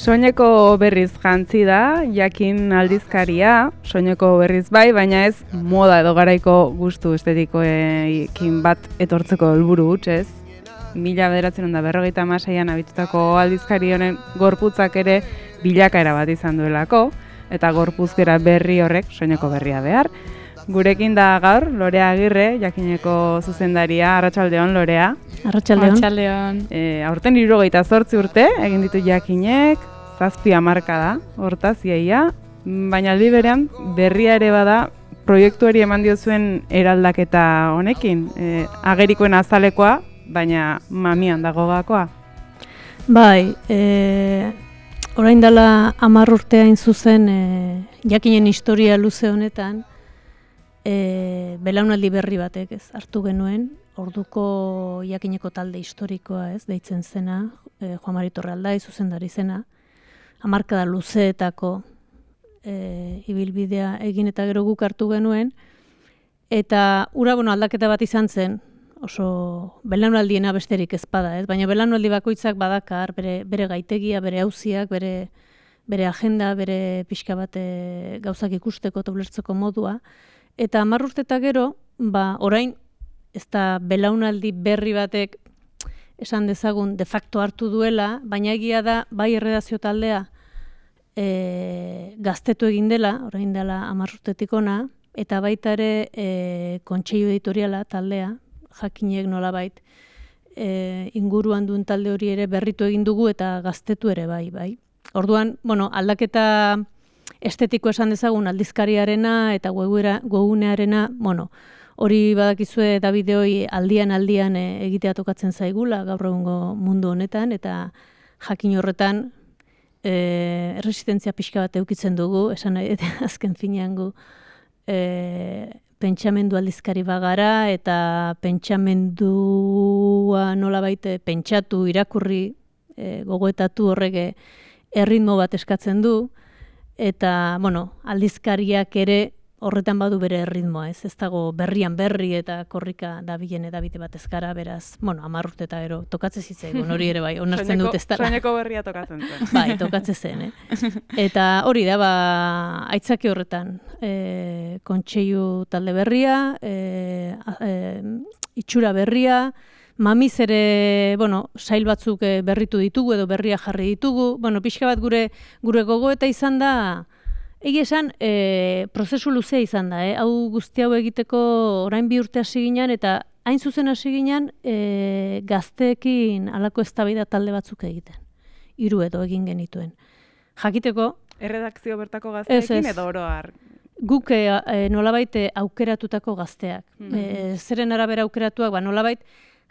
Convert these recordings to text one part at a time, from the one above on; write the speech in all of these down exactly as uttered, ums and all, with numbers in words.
Soineko berriz jantzi da, jakin aldizkaria, soineko berriz bai, baina ez moda edo garaiko gustu estetikoekin bat etortzeko helburu huts, ez? Mila bederatzen da berrogeita hamaseian abitutako aldizkari honen gorputzak ere bilakaera bat izan duelako, eta gorpuzkera berri horrek soineko berria behar. Gurekin da gaur, Lorea Agirre, jakineko zuzendaria. Arratsaldeon, Lorea. Arratsaldeon. Arratsaldeon. E, aurten hirurogeita zortzi urte, egin ditu jakinek, zazpi hamarka da, hortaz iaia, baina aldi berean berria ere bada proiektuari eman diozuen eraldaketa honekin. E, agerikoen azalekoa, baina mamian dago gakoa. Bai, e, orain dela hamar urtea hain zuzen e, jakinen historia luze honetan, E, belaunaldi berri batek ez hartu genuen, orduko jakineko talde historikoa ez, deitzen zena, e, Juan Mari Torraldai zuzendari zena, hamarkada luzeetako e, ibilbidea egin eta gero guk hartu genuen, eta ura bueno, aldaketa bat izan zen, oso belaunaldiena besterik ez bada, ez? Baina belaunaldi bakoitzak badakar, bere, bere gaitegia, bere auziak, bere, bere agenda, bere pixka bat e, gauzak ikusteko eta ulertzeko modua. Eta hamar urte eta gero, ba, orain, ez da belaunaldi berri batek esan dezagun de facto hartu duela, baina egia da, bai erredazio taldea e, gaztetu egin dela, orain dela hamar urtetik ona, eta baita ere e, kontseilu editoriala taldea, jakinek nolabait e, inguruan duen talde hori ere berritu egin dugu eta gaztetu ere bai, bai. Orduan, bueno, aldaketa estetiko esan dezagun aldizkariarena eta webgunearena, bueno, hori badakizue da bideoi aldian aldian e, egitea tokatzen zaigula gaur egungo mundu honetan, eta jakin horretan e, erresistentzia pixka bat eukitzen dugu, esan nahi, eta azken finean gu e, pentsamendu aldizkari bagara, eta pentsamendua nolabait pentsatu, irakurri, e, gogoetatu horrek erritmo bat eskatzen du, eta, bueno, aldizkariak ere horretan badu bere erritmoa, ez? Ez dago berrian berri eta korrika dabilen edabide bat ez gara, beraz, bueno, hamar urte eta gero tokatzen zitzaigun, hori ere bai, onartzen dut ez dara. Soineko berria tokatzen zen. Bai, tokatzen zen, eh? Eta hori da, ba, aitzaki horretan, e, kontseilu talde berria, e, e, itxura berria, mamiz ere, bueno, sail batzuk berritu ditugu edo berria jarri ditugu. Bueno, pixka bat gure gure gogoeta izan da, egia esan, e, prozesu luzea izan da, eh? Hau guzti hau egiteko orain bi urte hasi ginen, eta hain zuzen hasi ginen e, gazteekin halako eztabaida talde batzuk egiten. Hiru edo egin genituen. Jakiteko... Erredakzio bertako gazteekin edo oro har? Guk e, nolabait aukeratutako gazteak. Mm-hmm. e, zeren arabera aukeratuak, ba, nolabait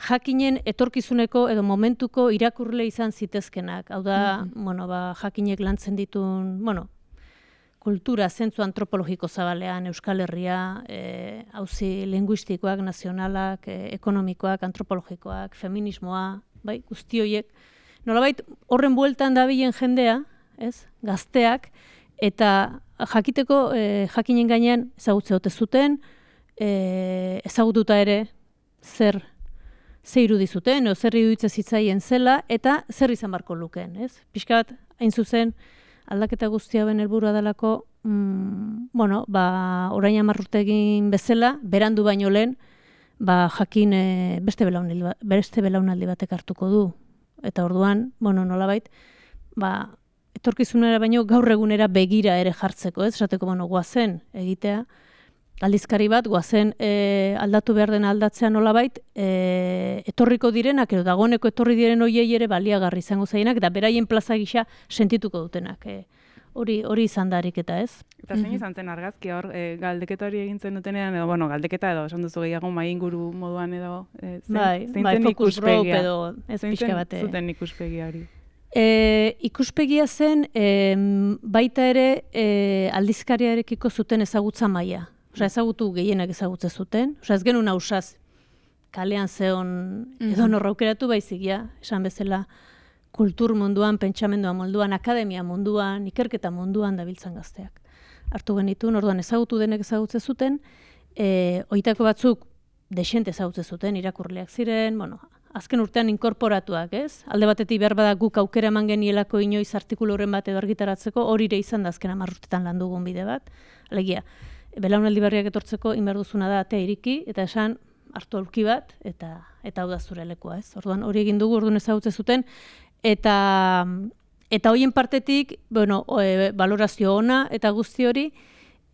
jakinen etorkizuneko edo momentuko irakurle izan zitezkenak. Hau da, mm-hmm. bueno, ba, jakinek lantzen ditun, bueno, kultura, zentzu antropologiko zabalean, Euskal Herria, e, auzi linguistikoak, nazionalak, e, ekonomikoak, antropologikoak, feminismoa, bai, guzti horiek. Nolabait, horren bueltan dabilen jendea, ez, gazteak, eta jakiteko e, jakinen gainean ezagutze ote zuten, e, ezagututa ere zer ze irudi zuten, o zer iruditze zitzaien zela, eta zer izan barko lukeen, ez? Pixka bat, hain zuzen, aldaketa guzti hauen helburua delako, mm, bueno, ba, orain hamar urte egin bezala, berandu baino lehen, ba, jakin e, beste belaunaldi, beste belaunaldi batek hartuko du. Eta orduan, bueno, nolabait, ba, etorkizunera baino gaur egunera begira ere jartzeko, ez? Esateko, bueno, goazen egitea, aldizkari bat, goazen e, aldatu behar den aldatzea nolabait, e, etorriko direnak, edo dagoeneko etorri diren hoiei ere baliagarri izango zaienak, eta beraien plaza gisa sentituko dutenak. E, hori hori izan darik eta ez. Eta zein izan zen argazki hor, e, galdeketa hori egin zen dutenean, edo, bueno, galdeketa edo, esan duzu gehiago mai inguru moduan edo, e, zein, bai, zein bai, zen focus group edo, ez pixka zein bate. zen zuten ikuspegia hori? E, ikuspegia zen, e, baita ere e, aldizkariarekiko zuten ezagutza maila. Osa, ezagutu gehienak ezagutze zuten. Osa, ez genuen hausaz kalean zeon edo norra aukeratu baizik, ja, esan bezala kultur munduan, pentsamendua munduan, akademia munduan, ikerketa munduan dabiltzan gazteak. Hartu genituen, orduan ezagutu denek ezagutze zuten, e, oitako batzuk desente ezagutze zuten, irakurleak ziren, bueno, azken urtean inkorporatuak, ez? Alde batetik behar bada guk aukera eman genielako inoiz artikulu horren bat edo argitaratzeko, hori ere izan da azken hamar urtetan lan dugun bide bat. Alegia, belaunaldi berriak etortzeko inbar duzuna da atea iriki, eta esan hartu aurki bat, eta eta hau da zure lekua, ez? Orduan hori egin dugu, orduan ezagutze zuten, eta eta hoien partetik, bueno, e, valorazio ona eta guzti hori,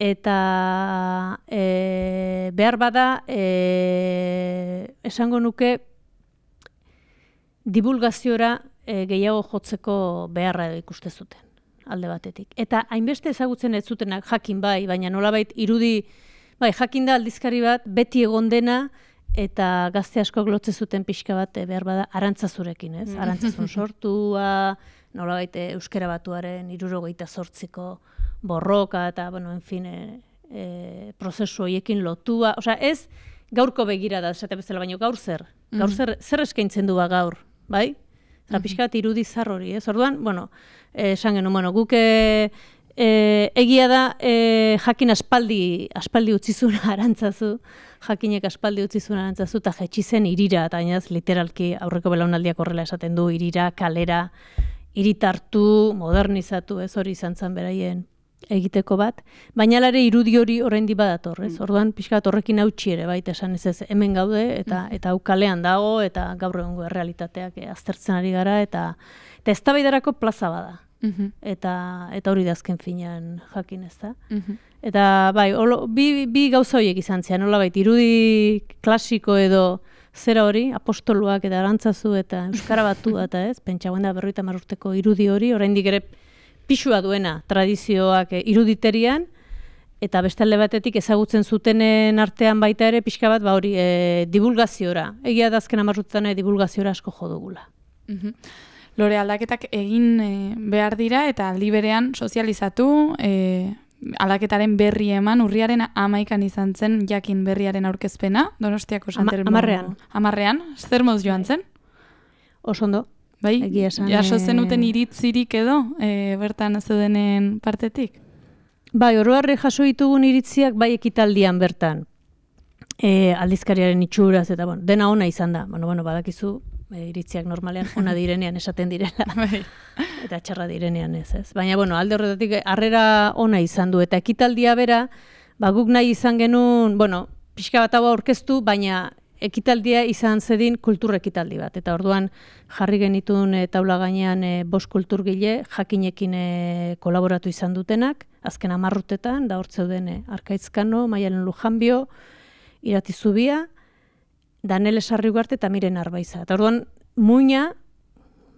eta e, behar bada e, esango nuke divulgaziora e, gehiago jotzeko beharra edo ikuste zuten alde batetik. Eta hainbeste ezagutzen ez zutenak jakin bai, baina nolabait irudi, bai, jakin da aldizkari bat beti egon dena eta gazte askok lotze zuten pixka bat e, behar bada arantzazurekin, ez? Arantzazun sortua, nolabait euskera batuaren hirurogeita zortziko borroka eta, bueno, en fin, e, e, prozesu horiekin lotua. Osea, ez gaurko begira da, esate bezala, baino gaur zer. Gaur zer, zer eskaintzen du ba gaur, bai? Zara, pixka bat irudi zar hori, ez? Orduan, bueno, esan genuen, bueno, guk e, e, egia da e, jakin aspaldi, aspaldi utzizuna arantzazu, jakinek aspaldi utzizuna arantzazu, eta jetxi zen irira, eta gainaz, literalki aurreko belaunaldiak horrela esaten du, irira, kalera, iritartu, modernizatu, ez hori izan zen beraien egiteko bat, baina lare irudi hori oraindik badator, ez? Orduan pixka bat horrekin hautsi ere baita esan ez ez hemen gaude eta eta hau kalean dago eta gaur egungo errealitateak eh, aztertzen ari gara eta eta eztabaidarako plaza bada. Eta eta hori da azken finean jakin, ez da? Eta bai, olo, bi, bi gauza horiek izan zian, nolabait irudi klasiko edo zera hori, apostoluak eta arantzazu eta euskara batu eta ez, pentsa da berrogeita hamar urteko irudi hori, oraindik ere pisua duena tradizioak iruditerian, eta beste alde batetik ezagutzen zutenen artean baita ere pixka bat ba hori e, divulgaziora. Egia da azken hamar urtetan divulgaziora asko jo dugula. Lore, aldaketak egin e, behar dira eta aldi berean sozializatu, e, aldaketaren berri eman, urriaren hamaikan izan zen jakin berriaren aurkezpena, Donostiako Santermo. Amarrean. Amarrean, zer moz joan zen? Oso ondo. Bai, egia esan, jaso zenuten iritzirik edo, e, bertan zeudenen partetik? Bai, oroharri jaso ditugun iritziak bai ekitaldian bertan. E, aldizkariaren itxuraz eta bueno, dena ona izan da. Bueno, bueno, badakizu e, iritziak normalean ona direnean esaten direla. Eta txarra direnean ez, ez. Baina bueno, alde horretatik harrera ona izan du eta ekitaldia bera, ba guk nahi izan genuen, bueno, pixka bat hau aurkeztu, baina ekitaldia izan zedin kultur ekitaldi bat. Eta orduan jarri genituen e, taula gainean e, bost kulturgile jakinekin e, kolaboratu izan dutenak, azken hamar urtetan, da hor zeuden e, Arkaitzkano, Maialen Lujanbio, Irati Zubia, Danele Sarrigarte eta Miren Arbaiza. Eta orduan muina,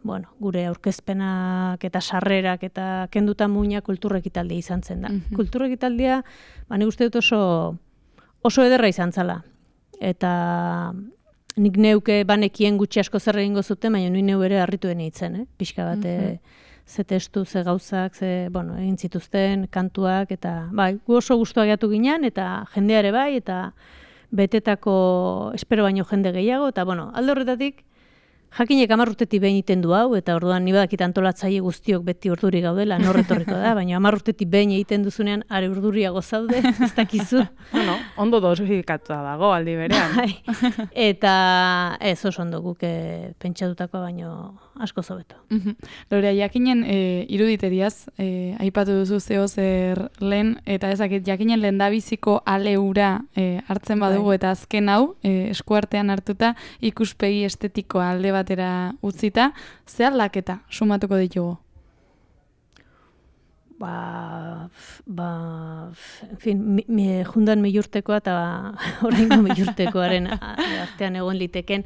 bueno, gure aurkezpenak eta sarrerak eta kenduta muina kultur ekitaldia izan zen da. Mm -hmm. Kultur ekitaldia, ba, nik uste dut oso, oso ederra izan zala. Eta nik neuke banekien gutxi asko zer egingo zuten, baina nui neu ere harritu dene hitzen, eh? Pixka bat, mm-hmm. ze testu, ze gauzak, ze, bueno, egin zituzten, kantuak, eta bai, gu oso gustuak gehiatu ginen, eta jendeare bai, eta betetako espero baino jende gehiago, eta bueno, alde horretatik, jakinek hamar urtetik behin egiten du hau, eta orduan ni badakit antolatzaile guztiok beti urduri gaudela, norretorriko da, baina hamar urtetik behin egiten duzunean are urduriago zaude, ez dakizu. Bueno, ondo dosifikatua dago aldi berean. Eta ez oso ondo guk pentsatutako baino asko zobeto. Lorea, jakinen e, iruditeriaz, e, aipatu duzu zeo zer lehen, eta ezakit jakinen lehendabiziko aleura e, hartzen badugu, eta azken hau, e, eskuartean hartuta, ikuspegi estetikoa alde batera utzita, ze aldaketa sumatuko ditugu? Ba, ba, en fin, mi, mi, jundan milurtekoa eta oraingo milurtekoaren artean egon liteken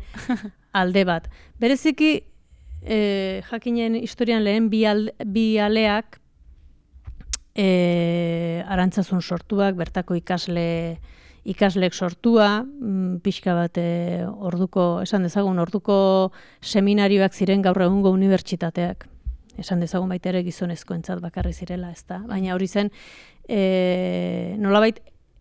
alde bat. Bereziki, e, jakinen historian lehen bi, al, bi aleak e, arantzazun sortuak, bertako ikasle ikaslek sortua, pixka bat e, orduko, esan dezagun, orduko seminarioak ziren gaur egungo unibertsitateak. Esan dezagun baita ere gizonezkoentzat bakarri zirela, ez da. Baina hori zen, e, nolabait,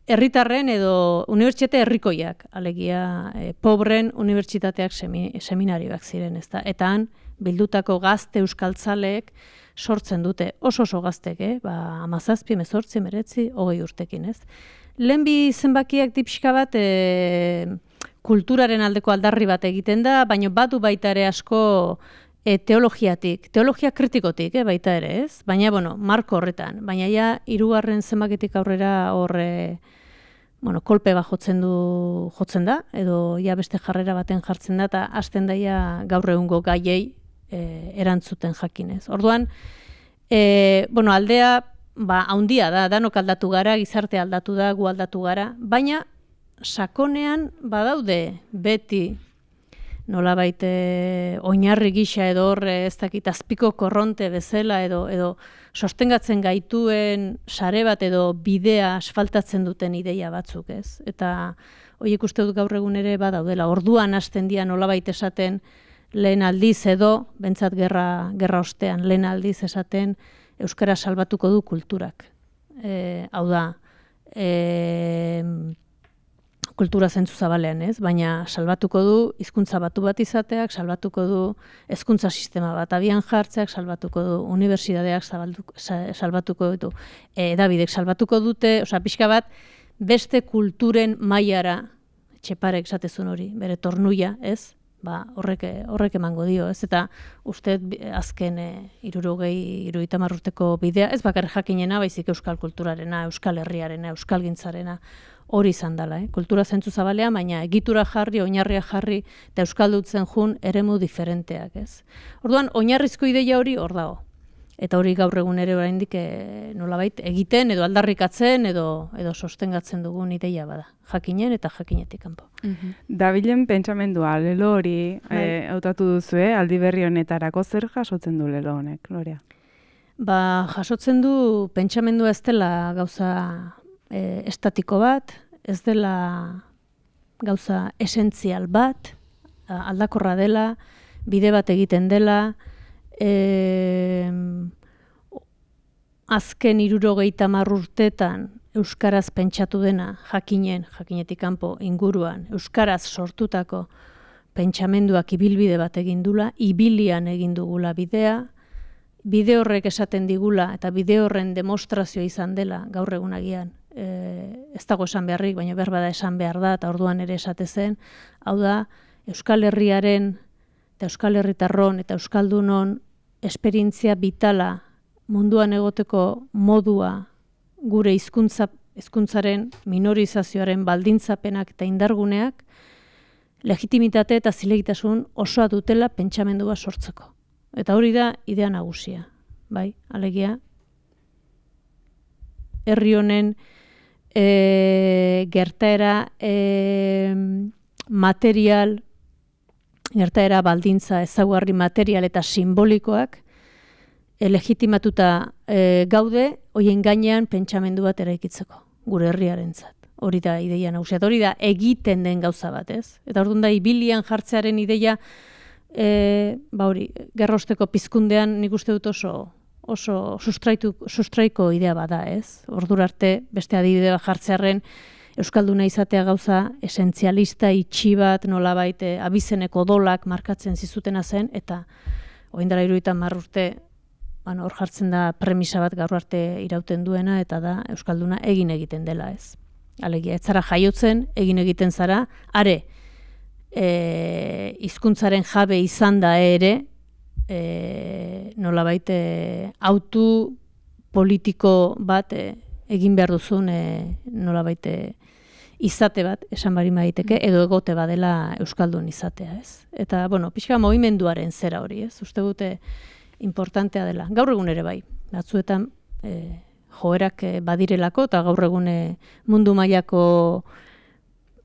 herritarren edo unibertsitate herrikoiak, alegia, e, pobren unibertsitateak semi, seminarioak ziren, ez da. Eta han, bildutako gazte euskaltzaleek sortzen dute, oso oso gaztek, eh? Ba, amazazpi, mezortzi, meretzi, hogei urtekin, ez. Lehen bi zenbakiak dipxka bat e, kulturaren aldeko aldarri bat egiten da, baina badu baita ere asko e, teologiatik, teologia kritikotik e, baita ere, ez? Baina, bueno, marko horretan. Baina ja, hirugarren zenbaketik aurrera horre, bueno, kolpe bat jotzen du, jotzen da, edo ja beste jarrera baten jartzen da, eta hasten daia gaur egungo gaiei e, erantzuten jakinez. Orduan, e, bueno, aldea, ba, haundia da, danok aldatu gara, gizarte aldatu da, gu aldatu gara, baina sakonean badaude beti nolabait e, oinarri gisa edo horre ez dakit azpiko korronte bezala edo edo sostengatzen gaituen sare bat edo bidea asfaltatzen duten ideia batzuk, ez? Eta horiek uste dut gaur egun ere badaudela. Orduan hasten dira nolabait esaten lehen aldiz edo, bentsat gerra, gerra ostean, lehen aldiz esaten euskara salbatuko du kulturak. E, hau da, e, kultura zentzu zabalean, ez? Baina salbatuko du hizkuntza batu bat izateak, salbatuko du hezkuntza sistema bat abian jartzeak, salbatuko du unibertsitateak salbatuko ditu, hedabidek salbatuko dute, osea pixka bat beste kulturen mailara Txeparek esatezun hori, bere tornuia, ez? Ba, horrek horrek emango dio, ez? Eta uste azken hirurogei hirurogeita hamar urteko bidea, ez bakarrik jakinena, baizik euskal kulturarena, euskal herriarena, euskalgintzarena hori izan dela, eh? Kultura zentzu zabalean, baina egitura jarri, oinarria jarri, eta euskaldutzen jun eremu diferenteak, ez? Orduan, oinarrizko ideia hori hor dago. Eta hori gaur egun ere oraindik e, nolabait egiten, edo aldarrikatzen, edo, edo sostengatzen dugun ideia bada. Jakinen eta jakinetik kanpo. Mm-hmm. Dabilen pentsamendua, lelo hori e, hautatu duzue, aldi berri honetarako zer jasotzen du lelo honek, Gloria? Ba, jasotzen du pentsamendua ez dela gauza E, estatiko bat, ez dela gauza esentzial bat, aldakorra dela, bide bat egiten dela, e, azken hirurogeita hamar urtetan euskaraz pentsatu dena jakinen, jakinetik kanpo inguruan, euskaraz sortutako pentsamenduak ibilbide bat egin dula, ibilian egin dugula bidea, bide horrek esaten digula eta bide horren demostrazioa izan dela gaur egunagian. E, ez dago esan beharrik, baina behar da esan behar da, eta orduan ere esate zen, hau da, Euskal Herriaren, eta Euskal Herritarron, eta Euskaldunon esperientzia vitala munduan egoteko modua gure hizkuntza hizkuntzaren minorizazioaren baldintzapenak eta indarguneak legitimitate eta zilegitasun osoa dutela pentsamendua sortzeko. Eta hori da idea nagusia, bai, alegia, herri honen E, gertaera e, material, gertaera baldintza ezaugarri material eta simbolikoak e, legitimatuta e, gaude, hoien gainean pentsamendu bat eraikitzeko, gure herriarentzat. Hori da ideia nagusia, hori da egiten den gauza bat, ez? Eta orduan da ibilian jartzearen ideia, e, ba hori, gerrosteko pizkundean nik uste dut oso oso sustraitu, sustraiko idea bada, ez? Ordura arte beste adibide bat jartzearren euskalduna izatea gauza esentzialista itxi bat nolabait abizeneko odolak markatzen zizutena zen eta orain dela hirurogeita hamar urte bueno, hor jartzen da premisa bat gaur arte irauten duena eta da euskalduna egin egiten dela, ez? Alegia ez zara jaiotzen, egin egiten zara, are eh hizkuntzaren jabe izan da ere E, nolabait e, autu politiko bat e, egin behar duzun e, nolabait e, izate bat, esan bari maiteke, edo egote badela euskaldun izatea, ez? Eta, bueno, pixka mogimenduaren zera hori, ez? Uste dute importantea dela. Gaur egun ere bai, batzuetan e, joerak e, badirelako, eta gaur egun e, mundu mailako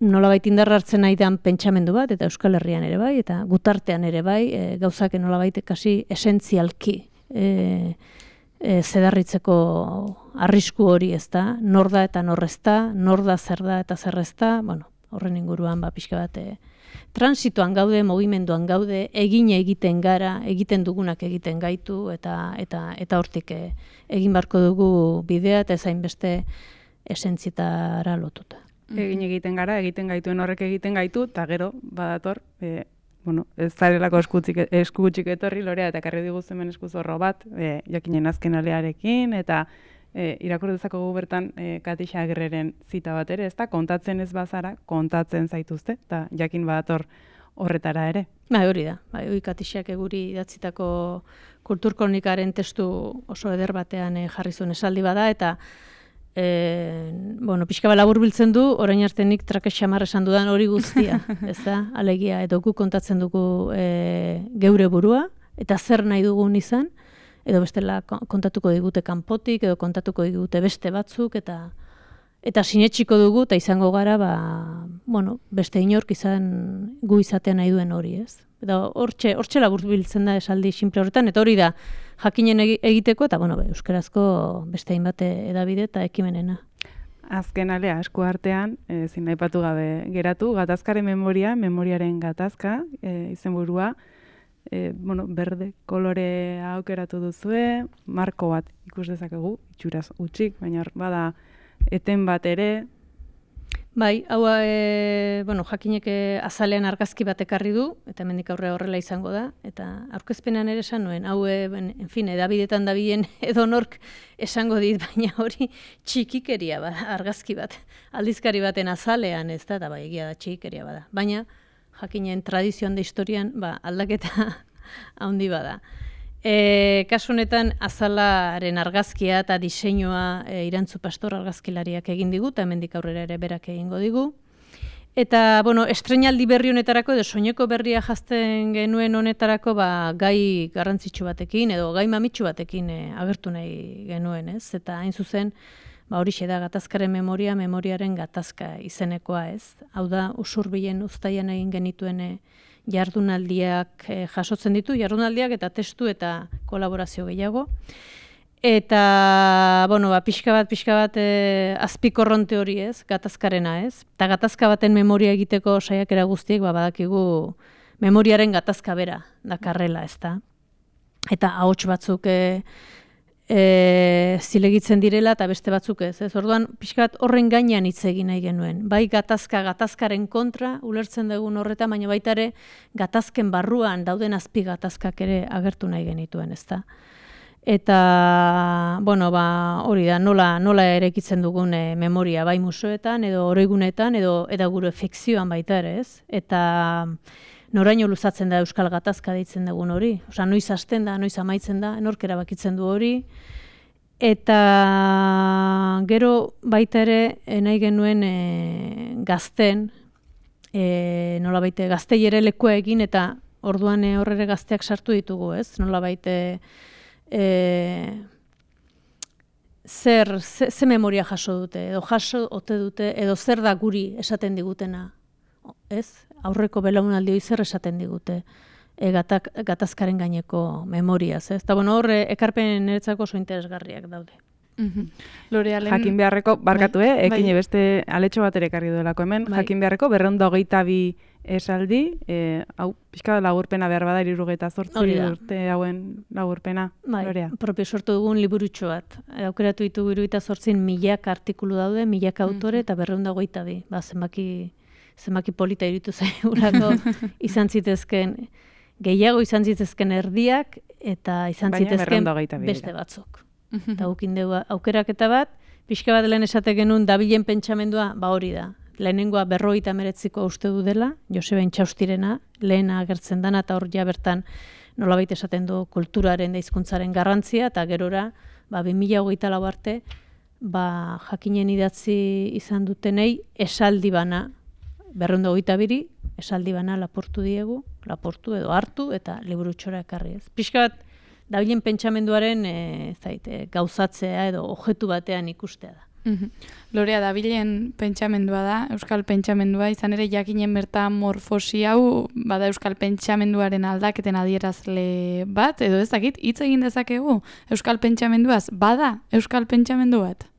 nolabait indarra hartzen nahi den pentsamendu bat, eta Euskal Herrian ere bai, eta gutartean ere bai, e, gauzak nolabait kasi esentzialki e, e, zedarritzeko arrisku hori ez da, nor da eta nor ez da, nor da zer da eta zer ez da, bueno, horren inguruan ba, pixka bat, e, transitoan gaude, mugimenduan gaude, egin egiten gara, egiten dugunak egiten gaitu, eta eta eta hortik e, egin barko dugu bidea, eta ezain beste esentzietara lotuta. Egin egiten gara, egiten gaituen horrek egiten gaitu, eta gero, badator, e, bueno, ez zarelako eskutxik etorri, Lorea, eta karri diguz hemen eskuzorro bat, e, jakinen azken alearekin, eta e, irakur dezakogu bertan e, Katixa Agirreren zita bat ere, ez da, kontatzen ez bazara, kontatzen zaituzte, eta jakin badator horretara ere. Bai, hori da. Bai, hori Katixak eguri idatzitako kulturkronikaren testu oso eder batean e, jarri zuen esaldi bada, eta e, bueno, pixka bat laburbiltzen du, orain arte nik trake xamar esan dudan hori guztia, ez da, alegia, edo gu kontatzen dugu e, geure burua, eta zer nahi dugun izan, edo bestela kontatuko digute kanpotik, edo kontatuko digute beste batzuk, eta eta sinetsiko dugu, eta izango gara, ba, bueno, beste inork izan gu izatea nahi duen hori, ez? Eta hortxe, hortxe laburbiltzen da esaldi simple horretan, eta hori da jakinen egiteko, eta bueno, euskarazko beste hainbat edabide eta ekimenena. Azken alea, esku artean, e, zin aipatu gabe geratu, gatazkaren memoria, memoriaren gatazka, e, izenburua, e, bueno, berde kolore aukeratu duzue, marko bat ikus dezakegu, itxuraz utxik, baina bada eten bat ere. Bai, hau e, bueno, jakinek azalean argazki bat ekarri du, eta hemendik aurrera horrela izango da, eta aurkezpenean ere esan nuen, hau, e, en fin, edabidetan dabilen edonork esango dit, baina hori txikikeria bada, argazki bat, aldizkari baten azalean, ez da, eta bai, egia da txikikeria bada. Baina, jakinen tradizioan da historian, ba, aldaketa handi bada. E, kasu honetan azalaren argazkia eta diseinua e, Irantzu Pastor argazkilariak egin digu, eta hemendik aurrera ere berak egingo digu. Eta, bueno, estreinaldi berri honetarako, edo soineko berria jazten genuen honetarako, ba, gai garrantzitsu batekin, edo gai mamitsu batekin e, agertu nahi genuen, ez? Eta hain zuzen, ba, horixe da gatazkaren memoria, memoriaren gatazka izenekoa, ez? Hau da, Usurbilen uztaian egin genituen e, jardunaldiak e, jasotzen ditu, jardunaldiak eta testu eta kolaborazio gehiago. Eta, bueno, ba, pixka bat, pixka bat e, azpikorronte hori ez, gatazkarena ez. Eta gatazka baten memoria egiteko saiakera guztiek, ba, badakigu memoriaren gatazka bera dakarrela, ez da. Eta ahots batzuk e, e, zilegitzen direla eta beste batzuk ez. Ez orduan, pixka bat horren gainean hitz egin nahi genuen. Bai gatazka, gatazkaren kontra, ulertzen dugun horretan, baina baita ere gatazken barruan dauden azpi gatazkak ere agertu nahi genituen, ez da. Eta, bueno, ba, hori da, nola, nola erekitzen dugun e, memoria, bai museoetan, edo oroigunetan, edo eta gure fikzioan baita ere, ez? Eta noraino luzatzen da euskal gatazka deitzen dugun hori. Osea, noiz hasten da, noiz amaitzen da, enork erabakitzen du hori. Eta gero baita ere nahi genuen e, gazten, e, nola baita gaztei ere lekua egin, eta orduan e, horrere gazteak sartu ditugu, ez? Nola baita e, zer, ze, ze memoria jaso dute, edo jaso ote dute, edo zer da guri esaten digutena, ez? Aurreko belaunaldi zer esaten digute e, gatak, gatazkaren gaineko memoriaz, ez? Eta bueno, horre ekarpen niretzako oso interesgarriak daude. Mm-hmm. Lorealen... Jakin beharreko, barkatu, bai, eh? Ekin bai. Beste aletxo bat ere ekarri duelako hemen, bai. Jakin beharreko berrehun eta hogeita bi esaldi, e, hau, pixka lagurpena behar bada, hirurogeita zortzi urte hauen lagurpena, bai, Lorea. Propio sortu dugun liburutxo bat. Aukeratu ditugu hirurogeita zortzin milaka artikulu daude, milaka autore, mm-hmm. eta berrehun eta hogeita bi. Ba, zenbaki... zenbaki polita iruditu zaigulako izan zitezken, gehiago izan zitezken erdiak, eta izan baina zitezken beste batzuk. Eta gukin dugu aukeraketa bat, pixka bat lehen esate genuen dabilen pentsamendua, ba hori da. Lehenengoa berrogeita hemeretziko uste du dela, Joseba Intxaustirena, lehena agertzen dana, eta hor ja bertan nolabait esaten du kulturaren da hizkuntzaren garrantzia, eta gerora, ba, bi mila hogeita lau arte, ba, jakinen idatzi izan dutenei esaldi bana, berrehun eta hogeita biri, esaldi bana laportu diegu, laportu edo hartu, eta liburutxora ekarri ez. Pixka bat, dabilen pentsamenduaren e, zait, e, gauzatzea edo objektu batean ikustea da. Mm-hmm. Lorea, dabilen pentsamendua da, euskal pentsamendua, izan ere jakinen bertan morfosi hau, bada euskal pentsamenduaren aldaketen adierazle bat, edo ez dakit, hitz egin dezakegu euskal pentsamenduaz, bada euskal pentsamendu bat?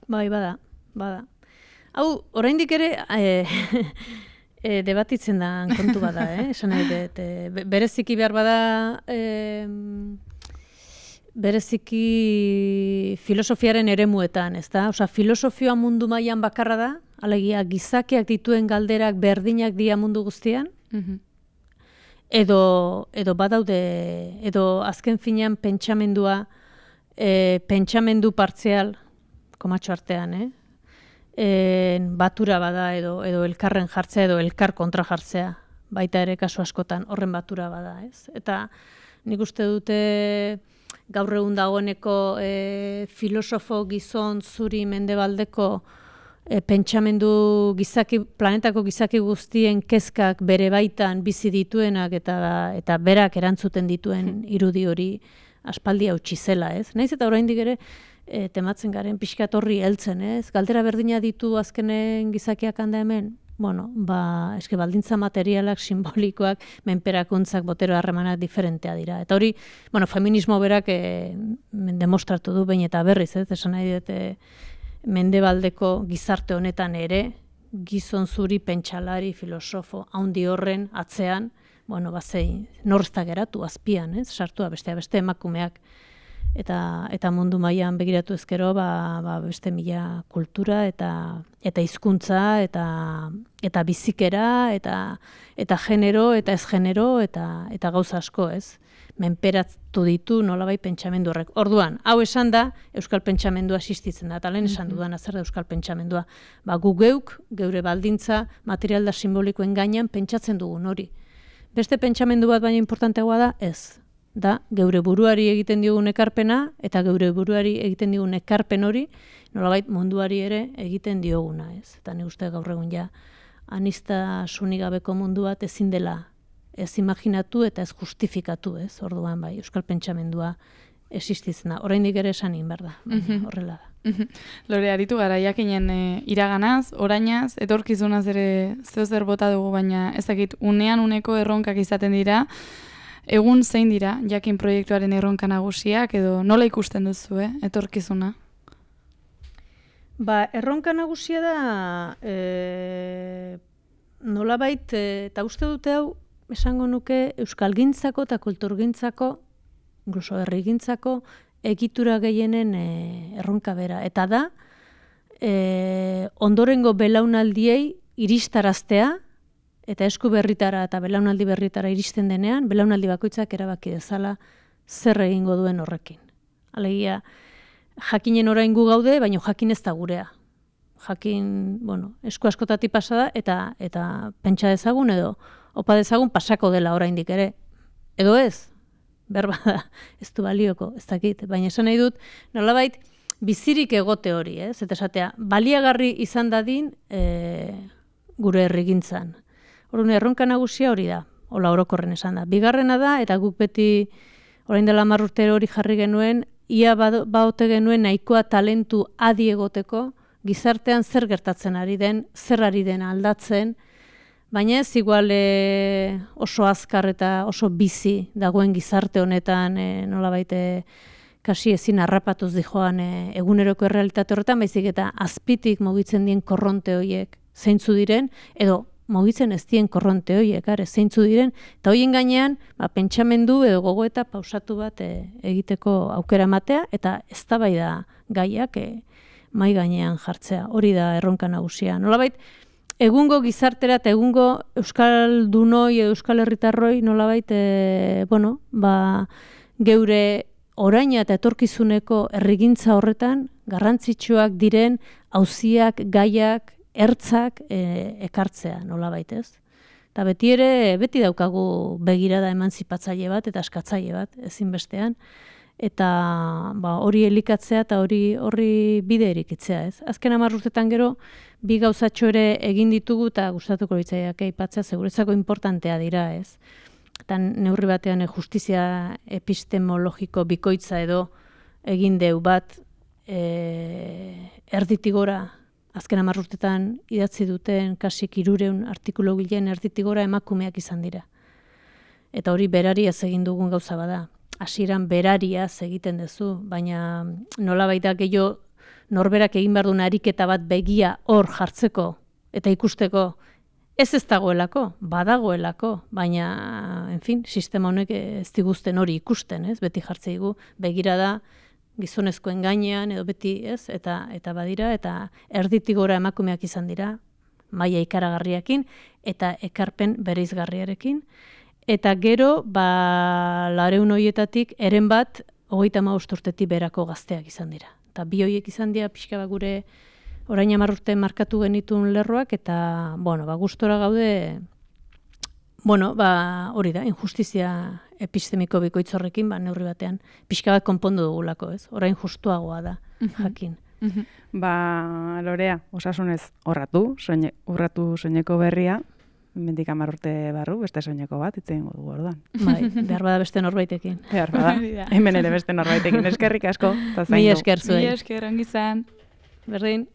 Bai, bada, bada. Hau, oraindik ere e, e, debatitzen da kontu bada, eh? Esan nahi dut, e, bereziki behar bada, e, bereziki filosofiaren eremuetan, ez da? Osea, filosofioa mundu mailan bakarra da, alegia gizakiak dituen galderak berdinak dira mundu guztian, mm-hmm. edo, edo badaude, edo azken finean pentsamendua e, pentsamendu partzial, komatxo artean, eh? E, batura bada edo, edo elkarren jartzea edo elkar kontra jartzea, baita ere kasu askotan horren batura bada, ez? Eta nik uste dute gaur egun dagoeneko e, filosofo gizon zuri mendebaldeko e, pentsamendu gizaki, planetako gizaki guztien kezkak bere baitan bizi dituenak eta eta berak erantzuten dituen irudi hori aspaldi hautsi zela, ez? Naiz eta oraindik ere e, tematzen garen pixkat horri heltzen, ez? Galdera berdina ditu azkenen gizakiak handa hemen. Bueno, ba, eske baldintza materialak, simbolikoak, menperakuntzak, botero harremanak diferentea dira. Eta hori, bueno, feminismo berak e, demostratu du behin eta berriz, ez? Esan nahi dut, e, mendebaldeko gizarte honetan ere, gizon zuri, pentsalari, filosofo, haundi horren atzean, bueno, bazei, norzta geratu, azpian, ez? Sartua bestea beste emakumeak. Eta, eta mundu mailan begiratu ezkero, ba, ba beste mila kultura eta eta hizkuntza eta eta bizikera eta eta genero eta ez genero eta eta gauza asko, ez? Menperatu ditu nolabait pentsamendu horrek. Orduan, hau esan da euskal pentsamendua existitzen da. Eta lehen esan dudan zer da euskal pentsamendua. Ba, gu geuk geure baldintza material da simbolikoen gainean pentsatzen dugun hori. Beste pentsamendu bat baina importanteagoa da, ez. Da, geure buruari egiten diogun ekarpena, eta geure buruari egiten diogun ekarpen hori, nolabait munduari ere egiten dioguna, ez? Eta ni uste gaur egun ja, aniztasunik gabeko mundu bat ezin dela ez imaginatu eta ez justifikatu, ez? Orduan bai, euskal pentsamendua existitzen da. Oraindik ere esan egin behar da, horrela da. Lore, aritu gara, jakinen e, iraganaz, orainaz, etorkizunaz ere zeozer bota dugu, baina ezakit, unean uneko erronkak izaten dira. Egun zein dira, jakin proiektuaren erronka nagusiak, edo nola ikusten duzu, eh, etorkizuna? Ba, erronka nagusia da, e, nolabait, eta uste dute hau, esango nuke, euskalgintzako eta kulturgintzako, incluso herrigintzako, egitura gehienen e, erronka bera. Eta da, e, ondorengo belaunaldiei iristaraztea, eta esku berritara eta belaunaldi berritara iristen denean, belaunaldi bakoitzak erabaki dezala zer egingo duen horrekin. Alegia, jakinen orain gu gaude, baina jakin ez da gurea. Jakin, bueno, esku askotatik pasa da, eta, eta pentsa dezagun edo, opa dezagun pasako dela oraindik ere. Edo ez, berba da, ez du balioko, ez dakit. Baina esan nahi dut, nolabait, bizirik egote hori, ez? Eta esatea, baliagarri izan dadin e, gure herrigintzan. Orduan, erronka nagusia hori da, hola orokorren esan da. Bigarrena da, eta guk beti orain dela hamar urte hori jarri genuen, ia baote genuen nahikoa talentu adi egoteko, gizartean zer gertatzen ari den, zer ari den aldatzen, baina ez igual e, oso azkar eta oso bizi dagoen gizarte honetan, e, nolabait kasi ezin harrapatuz dijoan e, eguneroko errealitate horretan, baizik eta azpitik mugitzen dien korronte horiek zeintzu diren, edo mugitzen ez dien korronte horiek, are, zeintzu diren, eta horien gainean, ba, pentsamendu edo gogoeta pausatu bat e, egiteko aukera ematea, eta eztabaida gaiak e, mai gainean jartzea, hori da erronka nagusia. Nolabait, egungo gizartera eta egungo euskaldunoi edo euskal herritarroi nolabait, e, bueno, ba, geure oraina eta etorkizuneko herrigintza horretan, garrantzitsuak diren auziak, gaiak, ertzak e, ekartzea, nolabait, ez? Eta beti ere, beti daukagu begirada emantzipatzaile bat eta askatzaile bat, ezinbestean, eta ba, hori elikatzea eta hori horri bide erikitzea, ez? Azken hamar urtetan gero, bi gauzatxo ere egin ditugu eta gustatuko litzaiake aipatzea, seguretzako importantea dira, ez? Eta neurri batean justizia epistemologiko bikoitza edo egin deu bat e, erditigora, azken hamar urtetan idatzi duten kasik hirureun artikulu gilen erditigora emakumeak izan dira. Eta hori berariaz egin dugun gauza bada. Hasieran berariaz egiten duzu, baina nolabait da gehiago norberak egin behar duen ariketa bat begia hor jartzeko eta ikusteko ez ez dagoelako, badagoelako, baina, en fin, sistema honek ez diguzten hori ikusten, ez? Beti jartzeigu begirada gizonezkoen gainean edo beti, ez? Eta eta badira eta erditik gora emakumeak izan dira, maila ikaragarriakin eta ekarpen bereizgarriarekin. Eta gero, ba, laurehun horietatik eren bat hogeita hamabost urtetik berako gazteak izan dira. Eta bi horiek izan dira pixka bat gure orain hamar urte markatu genituen lerroak, eta, bueno, ba, gustora gaude, bueno, ba, hori da, injustizia epistemiko bikoitz horrekin, ba, neurri batean, pixka bat konpondu dugulako, ez? Orain justuagoa da, jakin. Ba, Lorea, osasunez horratu, soine, urratu soineko berria, mendik hamar urte barru, beste soineko bat, itzen dugu orduan. Bai, behar bada beste norbaitekin. Behar bada, hemen ere beste norbaitekin, eskerrik asko. Mi esker zuei. Mi esker, ongi zan. Berdin.